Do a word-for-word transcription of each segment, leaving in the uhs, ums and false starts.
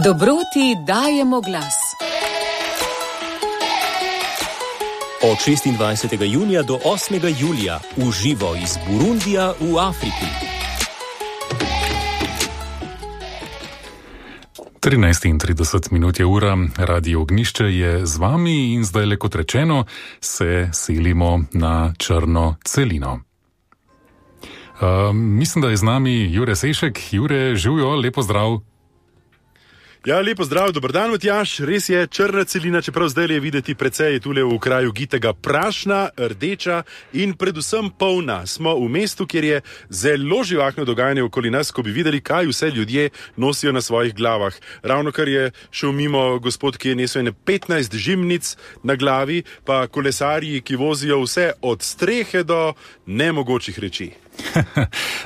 Dobroti dajemo glas. Od šestindvajsetega junija do osmega julija v živo iz Burundija v Afriki. trinajst in trideset minut je ura, Radio Ognjišče je z vami in zdaj, le kot rečeno, se selimo na Črno celino. Uh, mislim, da je z nami Jure Sešek. Jure, živijo, lepo zdrav. Ja, lepo zdrav, dober dan, Matjaž. Res je, Črna celina, čeprav zdaj je videti precej tule v kraju gitega prašna, rdeča in predvsem polna. Smo v mestu, kjer je zelo živahno dogajanje okoli nas, ko bi videli, kaj vse ljudje nosijo na svojih glavah. Ravno kar je šel mimo gospod, ki je nesel ene petnajst žimnic na glavi, pa kolesarji, ki vozijo vse od strehe do nemogočih reči.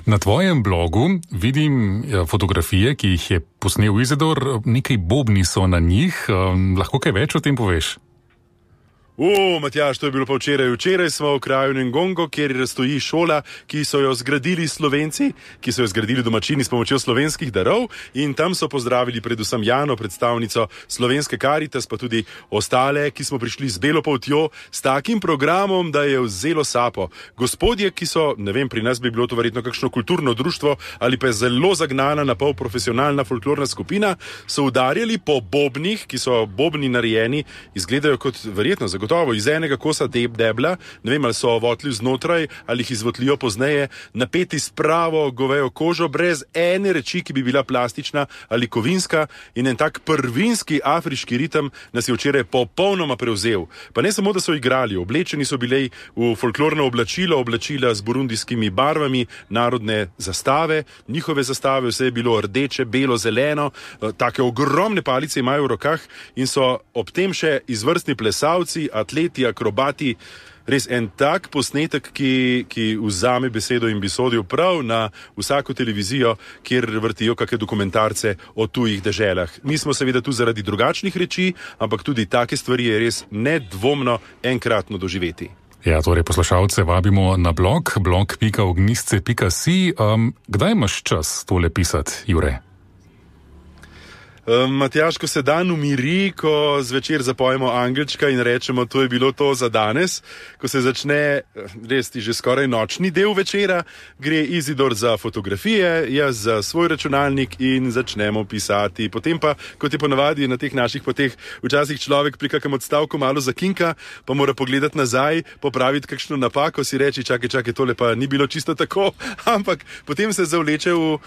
Na tvojem blogu vidim fotografije, ki jih je posnel Izidor, nekaj bobni so na njih. Lahko kaj več o tem poveš? O, Matjaž, to je bilo pa včeraj. Včeraj smo v kraju Ngongo, kjer stoji šola, ki so jo zgradili Slovenci, ki so jo zgradili domačini s pomočjo slovenskih darov, in tam so pozdravili predvsem Jano, predstavnico Slovenske Karitas, pa tudi ostale, ki smo prišli z belo poltjo, s takim programom, da je vzelo sapo. Gospodje, ki so, ne vem, pri nas bi bilo to verjetno kakšno kulturno društvo ali pa je zelo zagnana, napol profesionalna folklorna skupina, so udarjali po bobnih, ki so bobni narejeni, izgledajo kot verjetno zagotovo Gotovo iz enega kosa deb debla, ne vem, ali so votli znotraj ali jih izvotlijo pozneje, napeti s pravo govejo kožo, brez ene reči, ki bi bila plastična ali kovinska, in en tak prvinski afriški ritem nas je včeraj popolnoma prevzel. Pa ne samo, da so igrali, oblečeni so bili v folklorno oblačilo, oblačila z burundijskimi barvami, narodne zastave, njihove zastave, vse je bilo rdeče, belo, zeleno, take ogromne palice imajo v rokah in so ob tem še izvrstni plesalci, atleti, akrobati, res en tak posnetek, ki, ki vzame besedo in bi sodil prav na vsako televizijo, kjer vrtijo kakšne dokumentarce o tujih deželah. Mi smo seveda tu zaradi drugačnih reči, ampak tudi take stvari je res nedvomno enkratno doživeti. Ja, torej poslušalce vabimo na blog, blog pika ognjišče pika si. Um, kdaj imaš čas tole pisati, Jure? Um, Matjaž, ko se dan umiri, ko zvečer zapojemo angelčka in rečemo, to je bilo to za danes, ko se začne res ti že skoraj nočni del večera, gre Izidor za fotografije, jaz za svoj računalnik in začnemo pisati. Potem pa, kot je ponavadi na teh naših poteh, včasih človek pri kakem odstavku malo zakinka, pa mora pogledati nazaj, popraviti kakšno napako, si reči, čakaj, čakaj, tole pa ni bilo čisto tako, ampak potem se zavleče v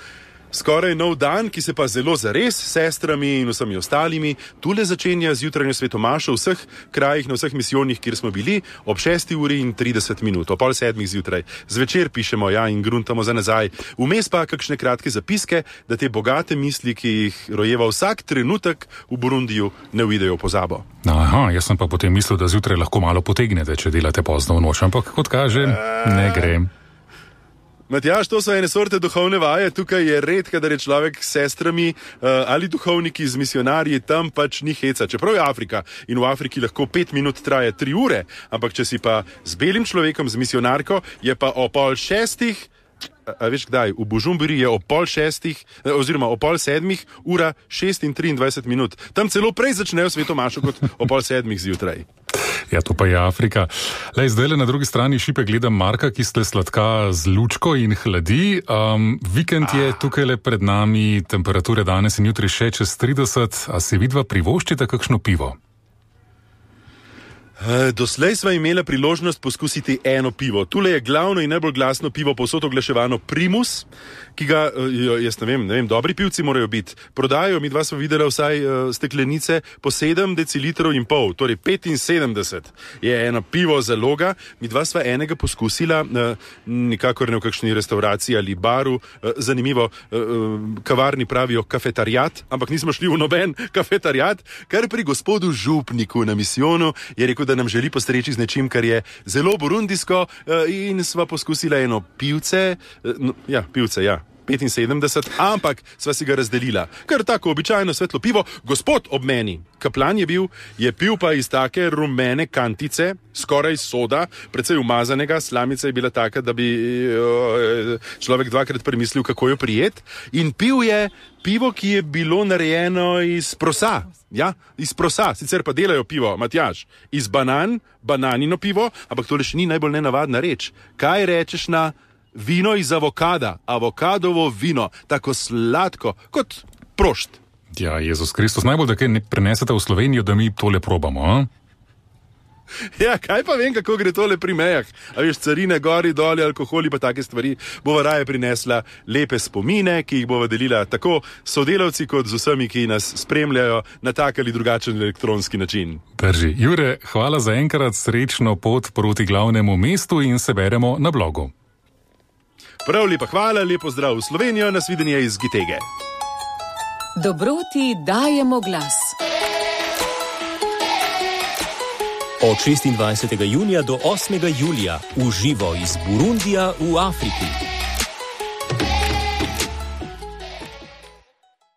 skoraj nov dan, ki se pa zelo zares s sestrami in vsemi ostalimi tule začenja z jutranjo svetomašo v vseh krajih, na vseh misijonih, kjer smo bili, ob šesti uri in trideset minut, ob pol sedmih zjutraj. Zvečer pišemo, ja, in gruntamo za nazaj. Vmes pa kakšne kratke zapiske, da te bogate misli, ki jih rojeva vsak trenutek v Burundiju, ne uidejo v pozabo. Aha, jaz sem pa potem mislil, da zjutraj lahko malo potegnete, če delate pozno v noč, ampak kot kaže, ne gre. Matjaž, to so ene sorte duhovne vaje, tukaj je redka, da je človek s sestrami uh, ali duhovniki z misionarji, tam pač ni heca. Čeprav je Afrika in v Afriki lahko pet minut traje tri ure, ampak če si pa z belim človekom, z misionarko, je pa o pol šestih, a, a veš kdaj, v Bužumbiri je o pol šestih, oziroma o pol sedmih ura šest in triindvajset minut. Tam celo prej začnejo svetomašo kot o pol sedmih zjutraj. Ja, to pa je Afrika. Lej, zdaj le na drugi strani šipe gledam Marka, ki ste sladka z lučko in hladi. Um, vikend je tukaj le pred nami, temperature danes in jutri še čez trideset, a se vidva privoščite kakšno pivo? Doslej sva imela priložnost poskusiti eno pivo. Tule je glavno in najbolj glasno pivo povsod oglaševano Primus, ki ga, jaz ne vem, ne vem, dobri pivci morajo biti. Prodajo, mi dva sva videla vsaj uh, steklenice po sedem decilitrov in pol, torej petinsedemdeset je eno pivo zaloga. Mi dva sva enega poskusila, uh, nikakor ne v kakšni restauraciji ali baru, uh, zanimivo, uh, kavarni pravijo kafetarijat, ampak nismo šli v noben kafetarijat, kar pri gospodu župniku na misijonu je rekel, da nam želi postreči z nečim, kar je zelo burundijsko, in sva poskusila eno pivce, no, ja, pivce, ja. petinsedemdeset, ampak sva si ga razdelila. Ker tako običajno svetlo pivo, gospod ob meni, kaplan je bil, je pil pa iz take rumene kantice, skoraj soda, precej umazanega, slamica je bila taka, da bi človek dvakrat premislil, kako jo prijet, in pil je pivo, ki je bilo narejeno iz prosa. Ja, iz prosa, sicer pa delajo pivo, Matjaž, iz banan, bananino pivo, ampak tole še ni najbolj nenavadna reč. Kaj rečeš na vino iz avokada, avokadovo vino, tako sladko kot prošt? Ja, Jezus Kristus, najbolj, da kaj ne prenesete v Slovenijo, da mi tole probamo, a? Ja, kaj pa vem, kako gre tole pri mejah. A veš, carine, gori, doli, alkoholi pa take stvari. Bova raje prinesla lepe spomine, ki jih bova delila tako sodelavci kot z vsemi, ki nas spremljajo na tak ali drugačen elektronski način. Drži. Jure, hvala za enkrat, srečno pot proti glavnemu mestu in se beremo na blogu. Prav lepa hvala, lepo zdrav v Slovenijo, nasvidenje iz Gitege. Dobroti dajemo glas. Od šestindvajsetega junija do osmega julija v živo iz Burundija v Afriki.